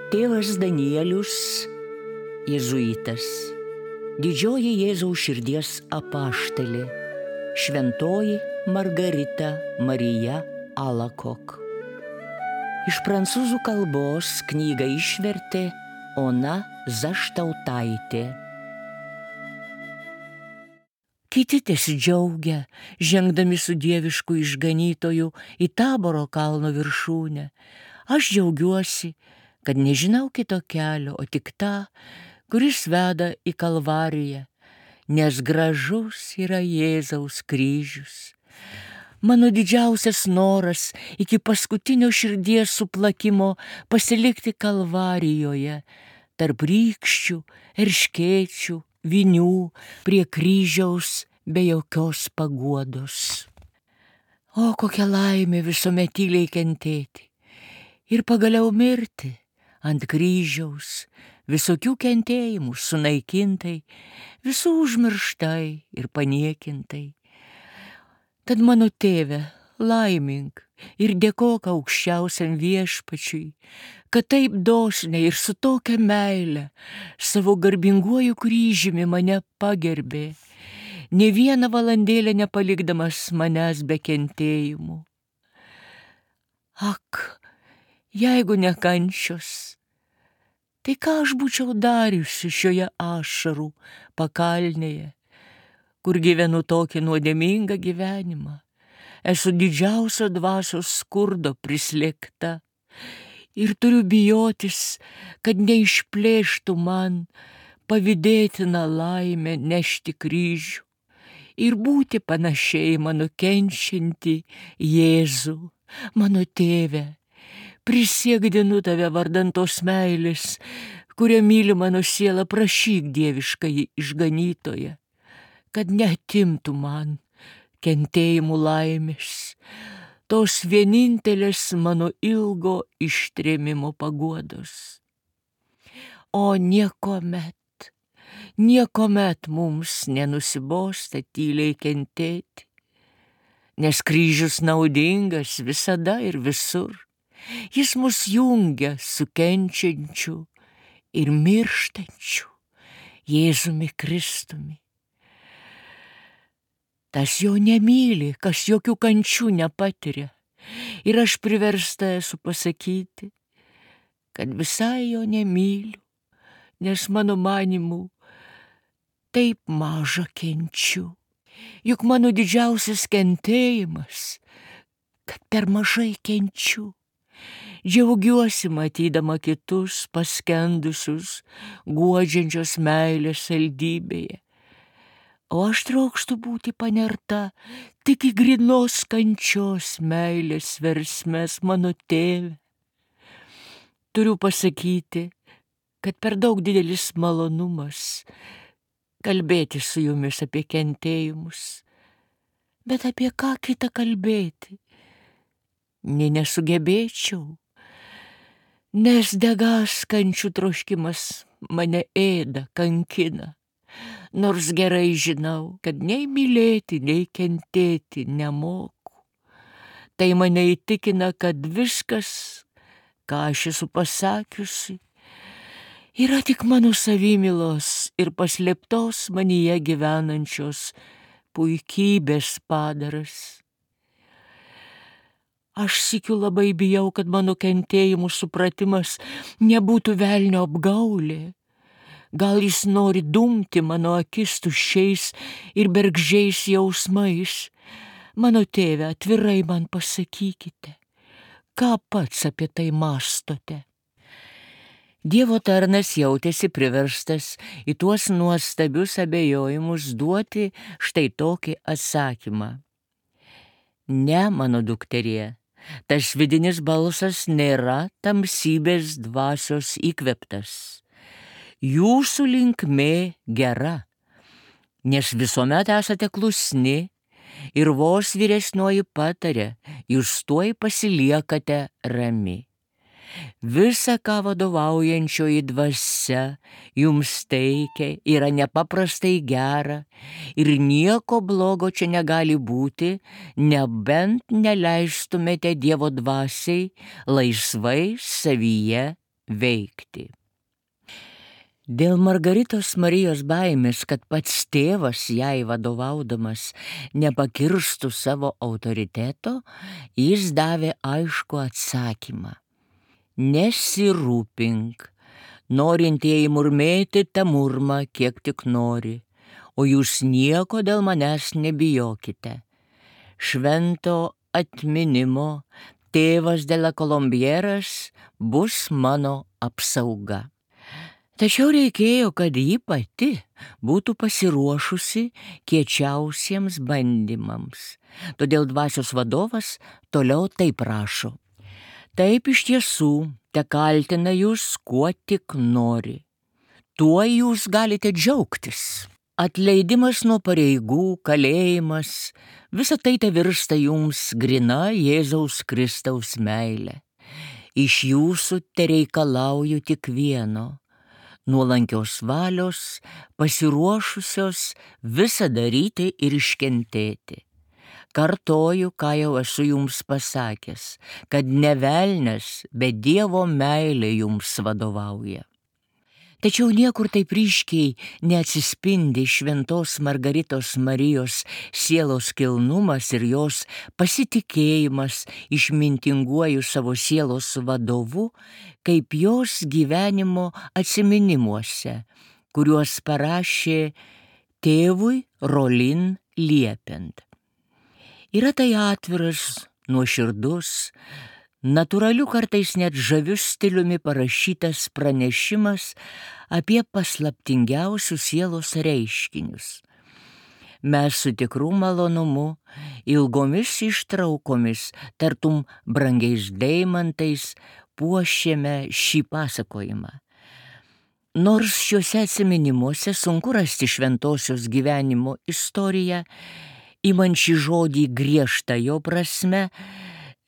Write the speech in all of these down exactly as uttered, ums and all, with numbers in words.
Tėvas Danielius, jėzuitas, didžioji Jėzaus širdies apaštalė, šventoji Margarita Marija Alakok. Iš prancūzų kalbos knygą išvertė Ona Zaštautaitė. Kiti tesidžiaugia, žengdami su dievišku išganytoju į Taboro kalno viršūnę. Aš džiaugiuosi, kad nežinau kito kelio, o tik tą, kuris veda į Kalvariją, nes gražus yra Jėzaus kryžius. Mano didžiausias noras iki paskutinio širdies suplakimo pasilikti Kalvarijoje, tarp rykščių, erškėčių, vinių, prie kryžiaus be jokios paguodos. O kokia laimė visuomet tyliai kentėti ir pagaliau mirti ant kryžiaus, visokių kentėjimų sunaikintai, visų užmirštai ir paniekintai. Tad mano tėve, laimink ir dėkok aukščiausiam viešpačiui, kad taip dosniai ir su tokia meile savo garbinguoju kryžiumi mane pagerbė, ne vieną valandėlę nepalikdamas manęs be kentėjimų. Ak, jeigu ne kančios, tai ką aš būčiau dariusi šioje ašarų pakalnėje, kur gyvenu tokį nuodėmingą gyvenimą. Esu didžiausio dvasios skurdo prislėgta ir turiu bijotis, kad neišplėštų man pavydėtiną laimę nešti kryžių ir būti panašiai mano kenčiantį Jėzų, mano tėve. Prisiekdinu tave vardan tos meilės, kurią myli mano siela, prašyk dieviškąjį išganytoją, kad neatimtų man kentėjimų laimės, tos vienintelės mano ilgo ištrėmimo paguodos. O niekomet, niekomet mums nenusibosta tyliai kentėti, nes kryžius naudingas visada ir visur. Jis mus jungia su kenčiančiu ir mirštančiu Jėzumi Kristumi. Tas jo nemyli, kas jokių kančių nepatiria. Ir aš priversta esu pasakyti, kad visai jo nemyliu, nes mano manymu taip maža kenčiu. Juk mano didžiausias kentėjimas, kad per mažai kenčiu. Džiaugiuosi matydama kitus paskendusius guodžiančios meilės saldybėje, o aš trokštu būti panerta tik į grynos kančios meilės versmes, mano tėve. Turiu pasakyti, kad per daug didelis malonumas kalbėti su jumis apie kentėjimus, bet apie ką kitą kalbėti, nė nesugebėčiau. Nes degas kančių troškimas mane ėda, kankina, nors gerai žinau, kad nei mylėti, nei kentėti nemoku. Tai mane įtikina, kad viskas, ką aš esu pasakiusi, yra tik mano savimylos ir paslėptos manyje gyvenančios puikybės padaras. Aš sykiu labai bijau, kad mano kentėjimų supratimas nebūtų velnio apgaulė. Gal jis nori dumti mano akis tuščiais ir bergždžiais jausmais. Mano tėve, atvirai man pasakykite, ką pats apie tai mąstote. Dievo tarnas jautėsi priverstas į tuos nuostabius abejojimus duoti štai tokį atsakymą. Ne, mano dukterie. Tas vidinis balsas nėra tamsybės dvasios įkveptas. Jūsų linkmė gera, nes visuomet esate klusni ir vos vyresnioji patarė, jūs tuoj pasiliekate rami. Visa, ką vadovaujančioji dvasia jums teikia, yra nepaprastai gera ir nieko blogo čia negali būti, nebent neleistumėte Dievo dvasiai laisvai savyje veikti. Dėl Margaritos Marijos baimės, kad pats tėvas jai vadovaudamas nepakirstų savo autoriteto, jis davė aišku atsakymą. Nesirūpink, norintieji murmėti tą murmą, kiek tik nori, o jūs nieko dėl manęs nebijokite. Švento atminimo tėvas de la Kolombieras bus mano apsauga. Tačiau reikėjo, kad ji pati būtų pasiruošusi kiečiausiems bandymams. Todėl dvasios vadovas toliau taip rašo. Taip iš tiesų te kaltina jūs, kuo tik nori. Tuo jūs galite džiaugtis. Atleidimas nuo pareigų, kalėjimas, visa tai te virsta jums grina Jėzaus Kristaus meilė. Iš jūsų te reikalauju tik vieno. Nuolankios valios, pasiruošusios visą daryti ir iškentėti. Kartoju, ką jau esu jums pasakęs, kad ne velnias, bet Dievo meilė jums vadovauja. Tačiau niekur taip ryškiai neatsispindi šventos Margaritos Marijos sielos kilnumas ir jos pasitikėjimas išmintinguoju savo sielos vadovu, kaip jos gyvenimo atsiminimuose, kuriuos parašė tėvui Rolin liepiant. Yra tai atviras, nuoširdus, natūraliu kartais net žaviu stiliumi parašytas pranešimas apie paslaptingiausius sielos reiškinius. Mes su tikru malonumu, ilgomis ištraukomis, tartum brangiais deimantais, puošėme šį pasakojimą. Nors šiuose atsiminimuose sunku rasti šventosios gyvenimo istoriją, imant šį žodį griežtą jo prasme,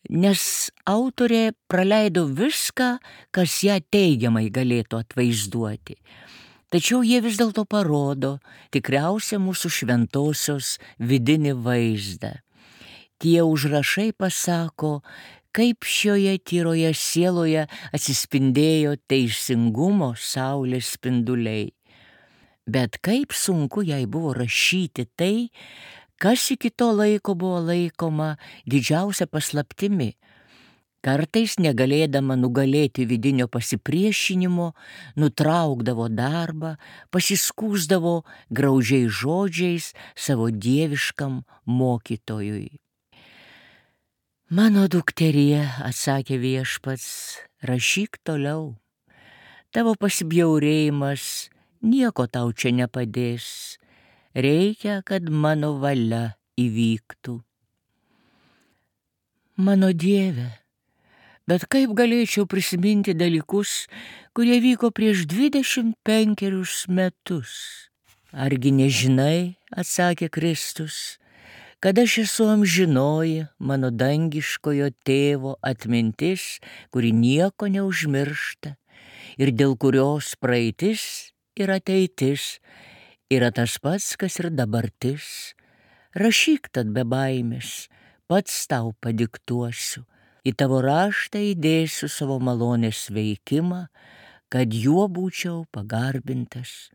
nes autorė praleido viską, kas ją teigiamai galėtų atvaizduoti. Tačiau jie vis dėlto parodo tikriausią mūsų šventosios vidinį vaizdą. Tie užrašai pasako, kaip šioje tyroje sieloje atsispindėjo teisingumo saulės spinduliai. Bet kaip sunku jai buvo rašyti tai, kas iki to laiko buvo laikoma didžiausia paslaptimi. Kartais negalėdama nugalėti vidinio pasipriešinimo, nutraukdavo darbą, pasiskųsdavo graudžiais žodžiais savo dieviškam mokytojui. Mano dukterie, atsakė viešpats, rašyk toliau. Tavo pasibjaurėjimas nieko tau čia nepadės. Reikia, kad mano valia įvyktų. Mano Dieve, bet kaip galėčiau prisiminti dalykus, kurie vyko prieš dvidešimt penkerius metus? Argi nežinai, atsakė Kristus, kad aš esu amžinoji mano dangiškojo tėvo atmintis, kuri nieko neužmiršta ir dėl kurios praeitis ir ateitis yra tas pats, kas ir dabartis. Rašyk tad be baimės, pats tau padiktuosiu. Į tavo raštą įdėsiu savo malonės veikimą, kad juo būčiau pagarbintas.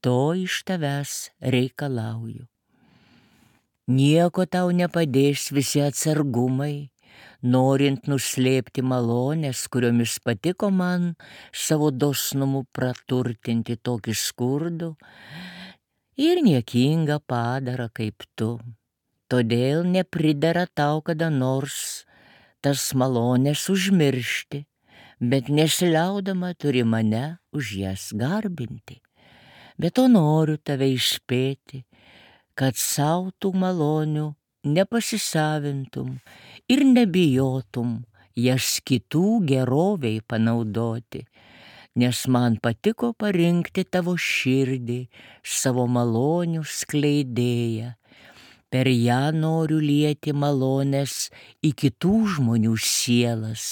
To iš tavęs reikalauju. Nieko tau nepadės visi atsargumai, norint nuslėpti malonės, kuriomis patiko man savo dosnumu praturtinti tokį skurdų ir niekingą padarą kaip tu. Todėl nepridera tau kada nors tas malonės užmiršti, bet nesiliaudama turi mane už jas garbinti. Bet to noriu tave įspėti, kad sau tų malonių nepasisavintum ir nebijotum jas kitų geroviai panaudoti, nes man patiko parinkti tavo širdį, savo malonių skleidėją. Per ją noriu lieti malonės į kitų žmonių sielas.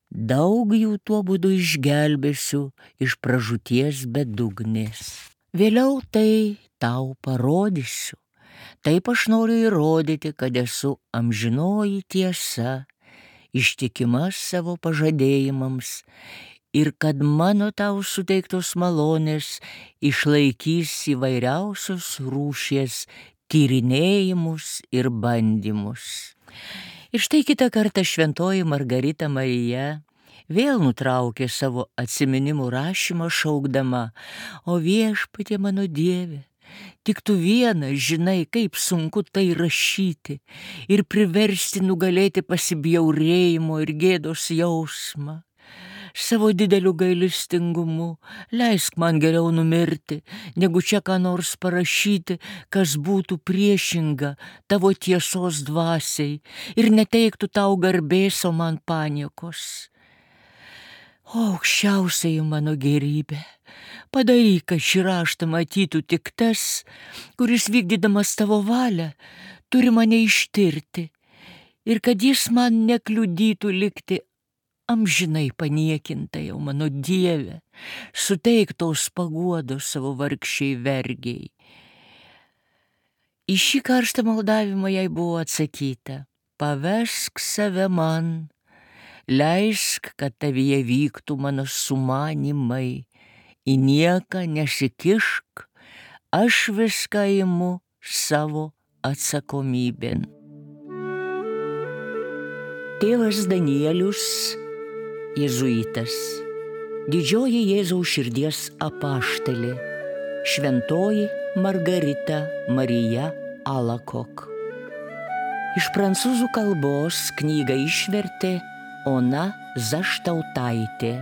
Daug jų tuo būdu išgelbėsiu iš pražūties bedugnės. Vėliau tai tau parodysiu. Taip aš noriu įrodyti, kad esu amžinoji tiesa, ištikima savo pažadėjimams ir kad mano tau suteiktos malonės išlaikys įvairiausios rūšies tyrinėjimus ir bandymus. Ir štai kitą kartą šventoji Margarita Marija vėl nutraukė savo atsiminimų rašymą šaukdama: o viešpatie mano Dieve, tik tu vienas žinai, kaip sunku tai rašyti ir priversti nugalėti pasibjaurėjimo ir gėdos jausmą. Savo dideliu gailestingumu leisk man geriau numirti, negu čia ką nors parašyti, kas būtų priešinga tavo tiesos dvasiai ir neteiktų tau garbės, o man paniekos. O aukščiausiai mano gerybė, padaryk, kad šį raštą matytų tik tas, kuris vykdydamas tavo valią turi mane ištirti, ir kad jis man nekliudytų likti amžinai paniekinta jau mano Dieve, suteik tos paguodos savo vargšiai vergiai. Į šį karštą maldavimą jai buvo atsakyta: pavesk save man, leisk, kad tavyje vyktų mano sumanimai, į nieką nesikišk, aš viską imu savo atsakomybėn. Tėvas Danielius, jėzuitas, didžioji Jėzaus širdies apaštalė, šventoji Margarita Marija Alacoque. Iš prancūzų kalbos knygą išvertė Ona Zaštautaitė.